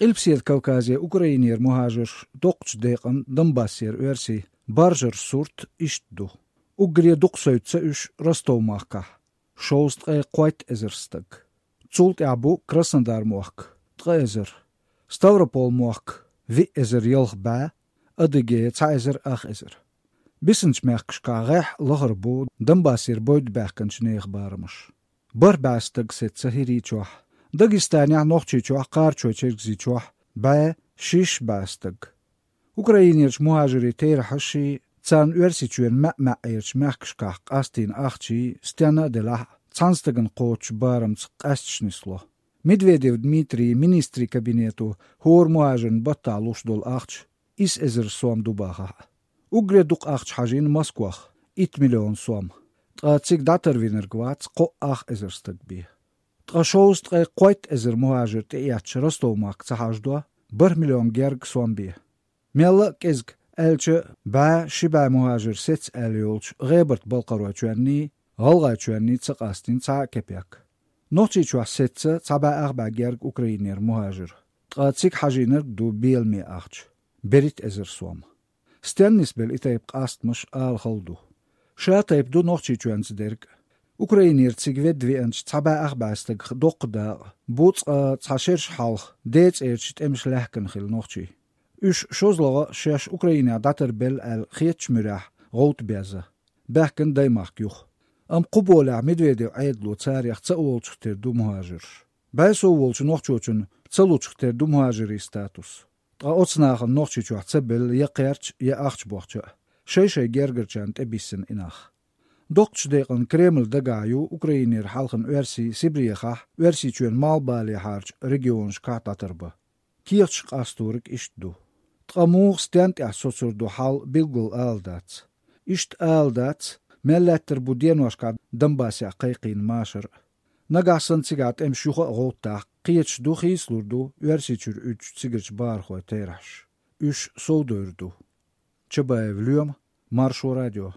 قلبسيت كوكازيا أوكرانير مهاجر دوقش ديقن دنباسير ويرسي بارجر سورت إشتدو أوغريا دوقسويت سأش رستو ماكا شوست قويت إزرستق تولت أعبو كراسندار موك تغيزر ستاوربول موك في إزر يلغ با أدقية تعيزر أخ إزر بسنش ماكش كاغيح لغربو دنباسير بويد باكنش نيخ بارمش بار باستق ست سهيري چوح داغستانيا نوخچي چوح قارچو چرگزي چوح با شيش باستق أوكرانيرش مهاجري تيرحشي تسان ورسيچوين ما ايرش ماكش كاق أستين أخشي ستانا دلح تسانستغن قوچ بارمц قاستشنسلو ميدفيديف دميتري министри кабинету هور مهاجرن بطالوش دول أخش إس إزر سوام دوباها أوغري دوق أخش حاجين مسكوخ 8 مليون سوام تغاتسيك داتر وينر قوات قو أخ إزر ستقبيه تغشوز تغي قويت إزر مهاجر تأياتش رستو ماك تحاجدوا 1 مليون جيرگ سوام بيه ميلا كيزك ألچ با شبا مهاجر سيتس أليولش غيبرت بالقروة چواني غلغا چواني تسقاستين تا كبيك نوتي چوح سيتس تابا أغبا جيرگ أوكرانير مهاجر تغاتسيك حاجينر دو بيلمي أخش بريت إزر سوام ستيان نسبل إتايب قاست مش آل خلدو شاتايب دو نوتي چوان زدرگ أوكرانير تسيقفيد في أنش تابا أغبا استق دوق دا بوت تحشيرش حالخ ديت إيرش تأمش لحكن خيل نوتي إش شوزلغا شاش أوكرانيا داتر بل الخيتش مراح غوت بيزا باكن دايماخ يوخ قبولا ميدفيديو عيدلو تاريخ تسأولش تردو مهاجر بايسو ولش نوخشوچن تسأولش تردو مهاجري ستاتوس تغا أتصناخ نوخشوچو تسبل يقيرش يأخش بوخشا شي جيرجرچان تبيسن إناخ دوقش ديقن كريمل دقايو أوكرانير حالخن ورسي سيبريخاح ورسي چوين مالبالي حارج ريجيونش كاتاتربا كيرش قاستورك إشتدو تغموغ ستانت إحسوسر دو حال بيلغل آلدات إشت آلدات ملاتر بودين واشكا دنباسي قيقين ماشر نقاسن تيغات امشوخ غوطا قيتش دو خيسلور دو ورسي چور اچ تيغرش بارخو تيرحش اش سودوردو چبايف اليوم مارشو راديو